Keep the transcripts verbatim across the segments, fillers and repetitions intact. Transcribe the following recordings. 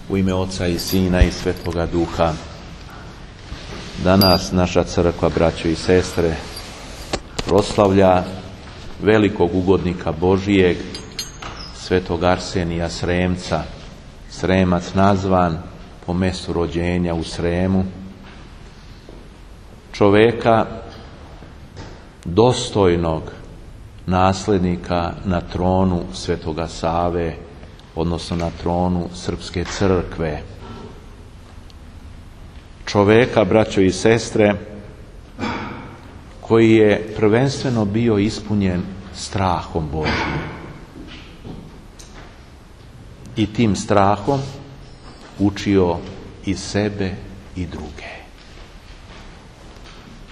U ime Oca i Sina i Svetoga Duha. Danas naša crkva, braćo i sestre, proslavlja velikog ugodnika Božijeg, svetog Arsenija Sremca. Sremac nazvan po mjestu rođenja u Sremu. Čoveka dostojnog nasljednika na tronu Svetoga Save, odnosno na tronu Srpske crkve. Čoveka, braćo i sestre, koji je prvenstveno bio ispunjen strahom Božjim. I tim strahom učio i sebe i druge.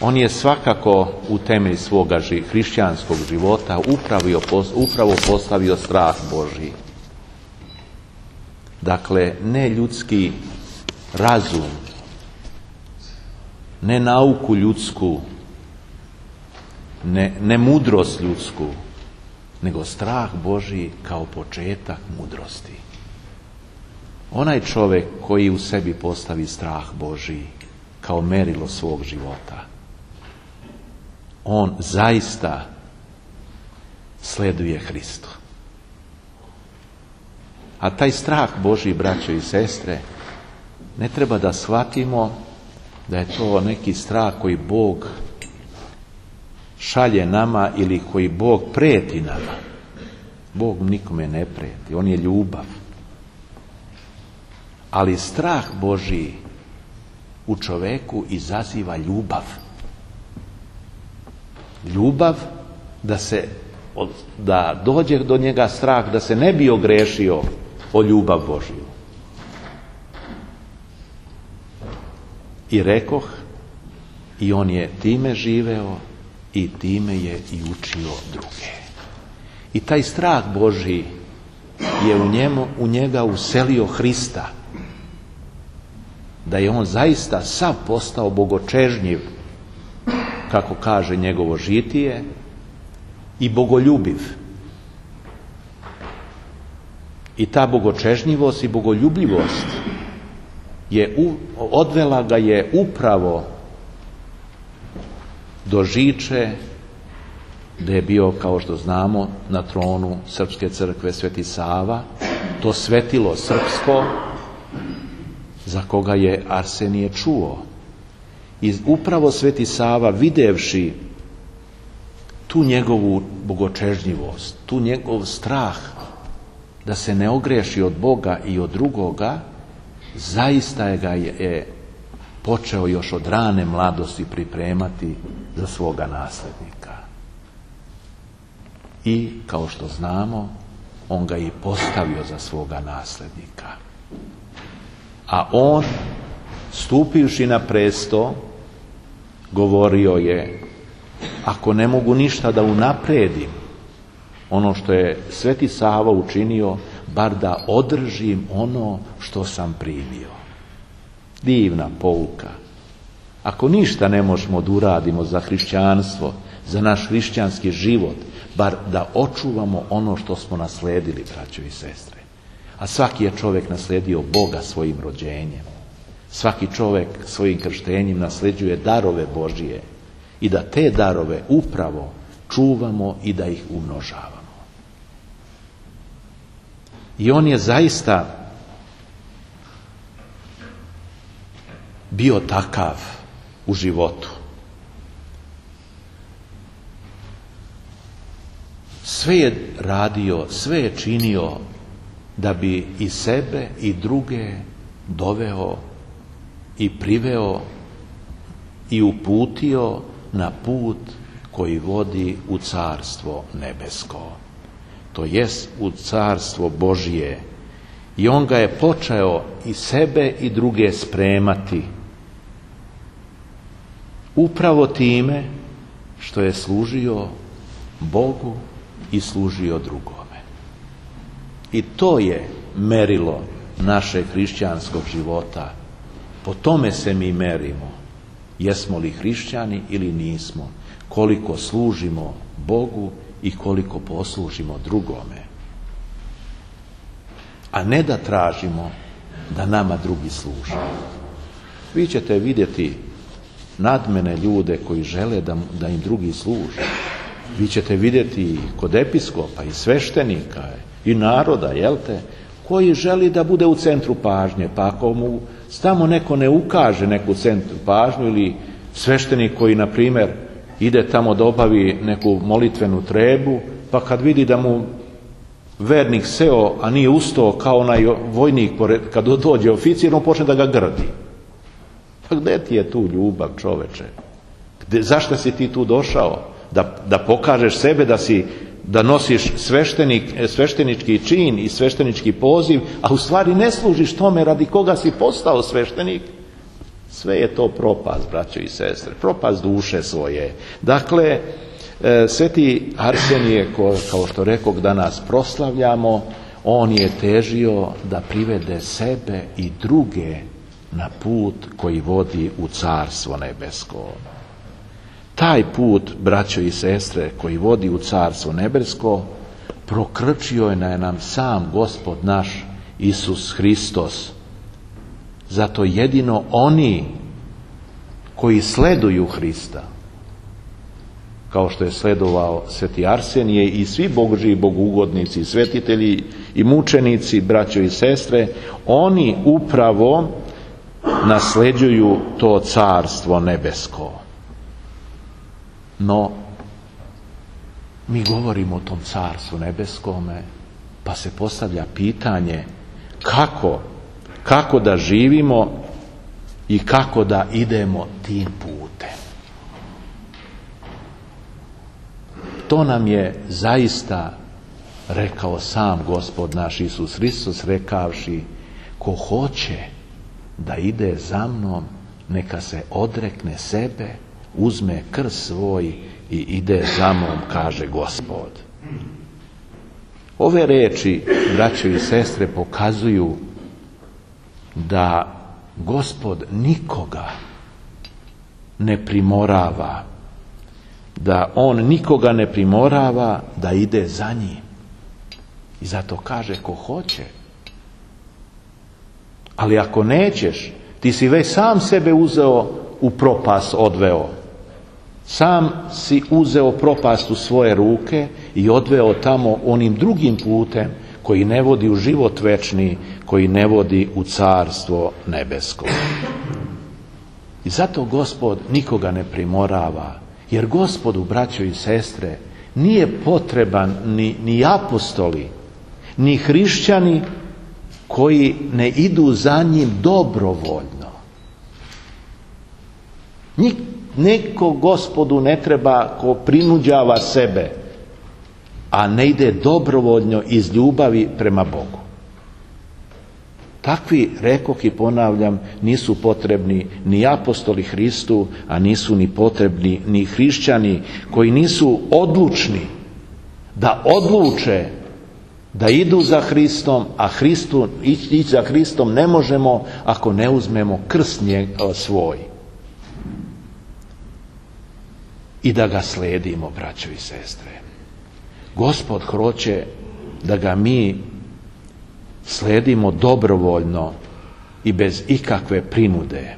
On je svakako u temelj svoga hrišćanskog života upravo, upravo postavio strah Božji. Dakle, ne ljudski razum, ne nauku ljudsku, ne, ne mudrost ljudsku, nego strah Božji kao početak mudrosti. Onaj čovjek koji u sebi postavi strah Božji kao merilo svog života, on zaista sleduje Hristu. A taj strah Božji, braćo i sestre, ne treba da shvatimo da je to neki strah koji Bog šalje nama ili koji Bog prijeti nama. Bog nikome ne prijeti, on je ljubav. Ali strah Božji u čoveku izaziva ljubav. Ljubav da se, da dođe do njega strah, da se ne bi ogrešio o ljubav Božju. I rekoh, i on je time živeo i time je i učio druge. I taj strah Božji je u njemu, u njega uselio Hrista. Da je on zaista sav postao bogočežnjiv, kako kaže njegovo žitije, i bogoljubiv. I ta bogočežnjivost i bogoljubljivost je u, odvela ga je upravo do žiče da je bio, kao što znamo, na tronu Srpske crkve Sveti Sava, to svetilo srpsko za koga je Arsenije čuo. I upravo Sveti Sava, videvši tu njegovu bogočežnjivost, tu njegov strah da se ne ogreši od Boga i od drugoga, zaista je ga je počeo još od rane mladosti pripremati za svoga nasljednika. I, kao što znamo, on ga i postavio za svoga nasljednika. A on, stupivši na presto, govorio je: ako ne mogu ništa da unapredim ono što je Sveti Sava učinio, bar da održim ono što sam primio. Divna pouka. Ako ništa ne možemo da uradimo za hrišćanstvo, za naš hrišćanski život, bar da očuvamo ono što smo nasledili, braćo i sestre. A svaki je čovjek nasledio Boga svojim rođenjem. Svaki čovjek svojim krštenjem nasleđuje darove Božije i da te darove upravo čuvamo i da ih umnožavamo. I on je zaista bio takav u životu. Sve je radio, sve je činio da bi i sebe i druge doveo i priveo i uputio na put koji vodi u carstvo nebesko. To jest u carstvo Božije. I on ga je počeo i sebe i druge spremati. Upravo time što je služio Bogu i služio drugome. I to je merilo našeg hrišćanskog života. Po tome se mi merimo. Jesmo li hrišćani ili nismo? Koliko služimo Bogu i koliko poslužimo drugome. A ne da tražimo da nama drugi služe. Vi ćete vidjeti nadmene ljude koji žele da, da im drugi služe. Vi ćete vidjeti kod episkopa i sveštenika i naroda, jel te, koji želi da bude u centru pažnje, pa ako mu tamo neko ne ukaže neku centru pažnju, ili sveštenik koji, na primjer, ide tamo da obavi neku molitvenu trebu, pa kad vidi da mu vernik seo, a nije ustao kao onaj vojnik, kad dođe oficir, on počne da ga grdi. Pa gdje ti je tu ljubav, čoveče? Gde, zašto si ti tu došao? Da, da pokažeš sebe, da si da nosiš sveštenik, sveštenički čin i sveštenički poziv, a u stvari ne služiš tome radi koga si postao sveštenik. Sve je to propast, braćo i sestre, propast duše svoje. Dakle, sveti Arsenije, kao što rekog, danas proslavljamo, on je težio da privede sebe i druge na put koji vodi u Carstvo nebesko. Taj put, braćo i sestre, koji vodi u Carstvo nebesko, prokrčio je na nam sam Gospod naš Isus Hristos. Zato jedino oni koji sleduju Hrista, kao što je sledovao sveti Arsenije i svi Božji bogugodnici, svetitelji i mučenici, braćo i sestre, oni upravo nasleđuju to Carstvo nebesko. No, mi govorimo o tom Carstvu nebeskome, pa se postavlja pitanje kako, kako da živimo i kako da idemo tim putem. To nam je zaista rekao sam Gospod naš Isus Hristos, rekavši: ko hoće da ide za mnom, neka se odrekne sebe, uzme krst svoj i ide za mnom, kaže Gospod. Ove reči, braćo i sestre, pokazuju da Gospod nikoga ne primorava, da on nikoga ne primorava da ide za njim. I zato kaže ko hoće. Ali ako nećeš, ti si već sam sebe uzeo u propast odveo. Sam si uzeo propast u svoje ruke i odveo tamo onim drugim putem koji ne vodi u život večni, koji ne vodi u Carstvo nebesko. I zato Gospod nikoga ne primorava, jer Gospodu, braćo i sestre, nije potreban ni, ni apostoli, ni hrišćani koji ne idu za njim dobrovoljno. Nik, neko Gospodu ne treba ko prinuđava sebe, a ne ide dobrovoljno iz ljubavi prema Bogu. Takvi, rekoh i ponavljam, nisu potrebni ni apostoli Hristu, a nisu ni potrebni ni hrišćani koji nisu odlučni da odluče da idu za Hristom, a Hristu, ići za Hristom ne možemo ako ne uzmemo krst svoj i da ga sledimo, braćo i sestre. Gospod hoće da ga mi sledimo dobrovoljno i bez ikakve prinude.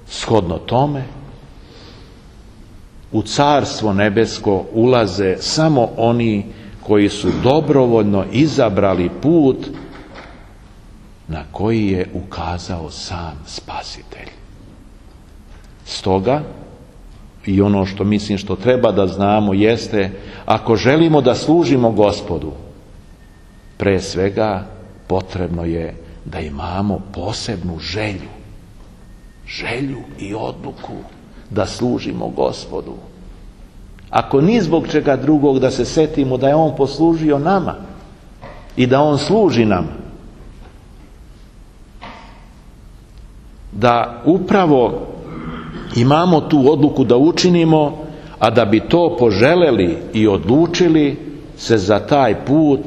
Shodno tome, u Carstvo nebesko ulaze samo oni koji su dobrovoljno izabrali put na koji je ukazao sam Spasitelj. Stoga, i ono što mislim što treba da znamo jeste, ako želimo da služimo Gospodu, pre svega potrebno je da imamo posebnu želju, želju i odluku da služimo Gospodu. Ako ni zbog čega drugog, da se setimo da je On poslužio nama i da On služi nam. Da upravo imamo tu odluku da učinimo, a da bi to poželeli i odlučili se za taj put,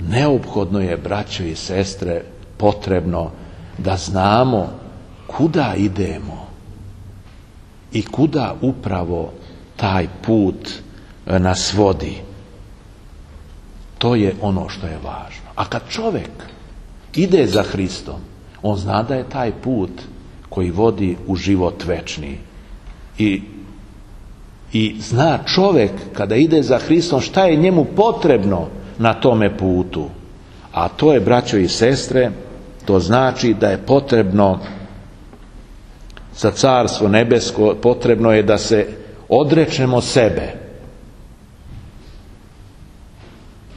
neophodno je, braćo i sestre, potrebno da znamo kuda idemo i kuda upravo taj put nas vodi. To je ono što je važno. A kad čovjek ide za Hristom, on zna da je taj put koji vodi u život večni. I, i zna čovjek kada ide za Hristom šta je njemu potrebno na tome putu. A to je, braćo i sestre, to znači da je potrebno za Carstvo nebesko, potrebno je da se odrečemo sebe.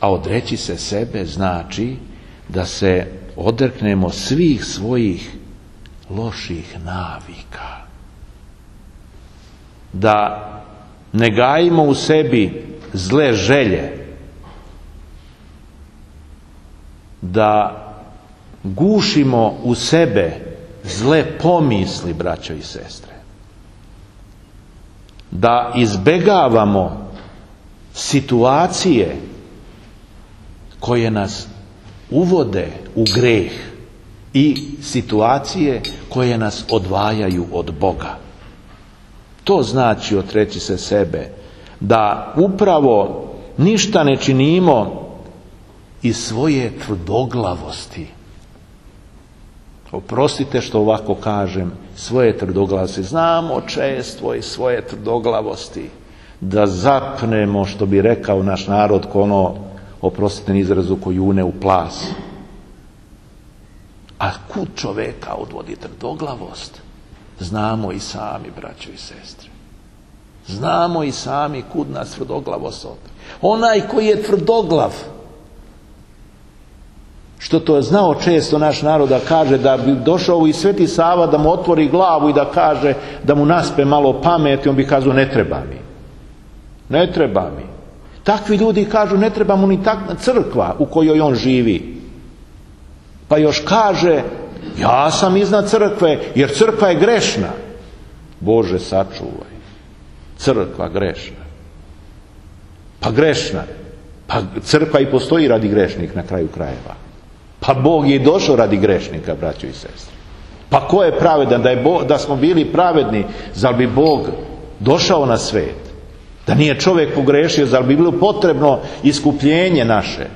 A odreći se sebe znači da se odreknemo svih svojih loših navika. Da ne gajimo u sebi zle želje. Da gušimo u sebe zle pomisli, braćo i sestre. Da izbegavamo situacije koje nas uvode u greh i situacije koje nas odvajaju od Boga. To znači odreći se sebe, da upravo ništa ne činimo iz svoje tvrdoglavosti. Oprostite što ovako kažem, svoje tvrdoglavosti. Znamo često i svoje tvrdoglavosti da zapnemo, što bi rekao naš narod, ko ono, oprostite na izrazu, ko june u plas. A kud čoveka odvodi tvrdoglavost? Znamo i sami, braćo i sestre. Znamo i sami kud nas tvrdoglavost odvodi. Onaj koji je tvrdoglav, što to je znao često naš narod da kaže, da bi došao i Sveti Sava da mu otvori glavu i da kaže, da mu naspe malo pameti, on bi kazao ne treba mi. Ne treba mi. Takvi ljudi kažu ne treba mu ni takva crkva u kojoj on živi. Pa još kaže, ja sam iznad crkve jer crkva je grešna. Bože sačuvaj. Crkva grešna. Pa grešna. Pa crkva i postoji radi grešnih na kraju krajeva. Pa Bog je došao radi grešnika, braćo i sestre. Pa ko je pravedan? Da, je Bog, da smo bili pravedni, zar bi Bog došao na svet? Da nije čovjek pogrešio, zar bi bilo potrebno iskupljenje naše?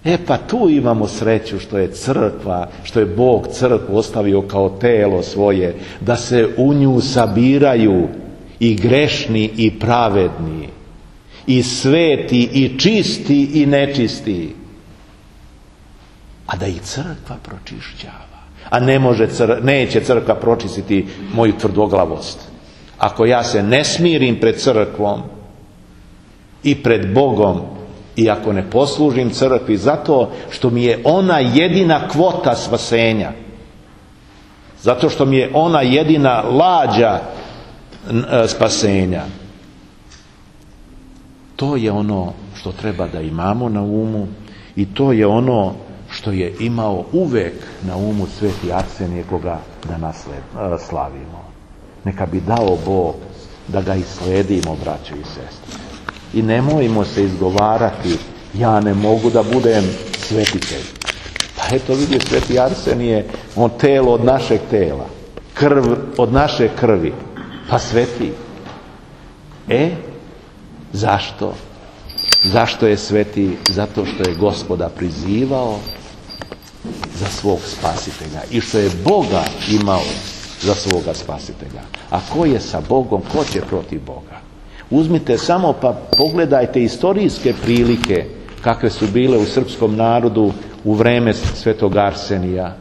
E pa tu imamo sreću što je crkva, što je Bog crkvu ostavio kao telo svoje, da se u nju sabiraju i grešni i pravedni, i sveti i čisti i nečisti. A da ih crkva pročišćava. A ne može cr- neće crkva pročistiti moju tvrdoglavost. Ako ja se ne smirim pred crkvom i pred Bogom, i ako ne poslužim crkvi zato što mi je ona jedina kvota spasenja, zato što mi je ona jedina lađa spasenja, to je ono što treba da imamo na umu i to je ono što je imao uvek na umu Sveti Arsenije, koga danas slavimo. Neka bi dao Bog da ga isledimo, braćo i sestre. I nemojmo se izgovarati, ja ne mogu da budem svetitelj. Pa eto vidi, Sveti Arsenije, on telo od našeg tela, krv od naše krvi, pa sveti. E, zašto? Zašto je sveti? Zato što je Gospoda prizivao za svog spasitelja i što je Boga imao za svoga spasitelja. A ko je sa Bogom, ko će protiv Boga? Uzmite samo pa pogledajte istorijske prilike kakve su bile u srpskom narodu u vreme Svetog Arsenija.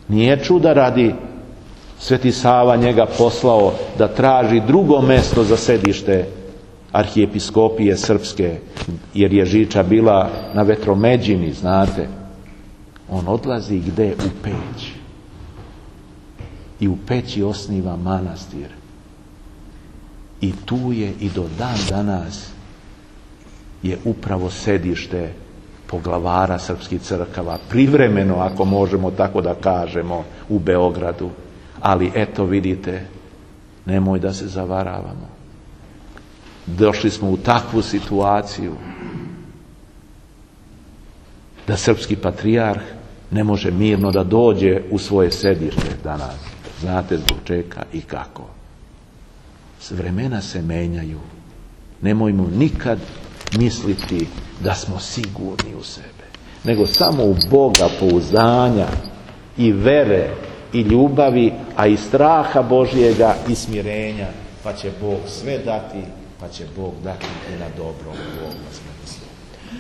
Nije čuda radi Sveti Sava njega poslao da traži drugo mesto za sedište arhijepiskopije srpske, jer je Žiča bila na Vetromeđini, znate. On odlazi gde? U Peć. I u Peći osniva manastir. I tu je i do dan danas je upravo sedište poglavara srpskih crkava, privremeno, ako možemo tako da kažemo, u Beogradu. Ali eto vidite, nemoj da se zavaravamo. Došli smo u takvu situaciju da srpski patrijarh ne može mirno da dođe u svoje sedište danas. Znate zbog čega i kako. Vremena se menjaju. Nemojmo nikad misliti da smo sigurni u sebe. nego samo u Boga pouzdanja i vere i ljubavi, a i straha Božjega i smirenja, pa će Bog sve dati, pa će Bog dati i na dobro u ovom smislu.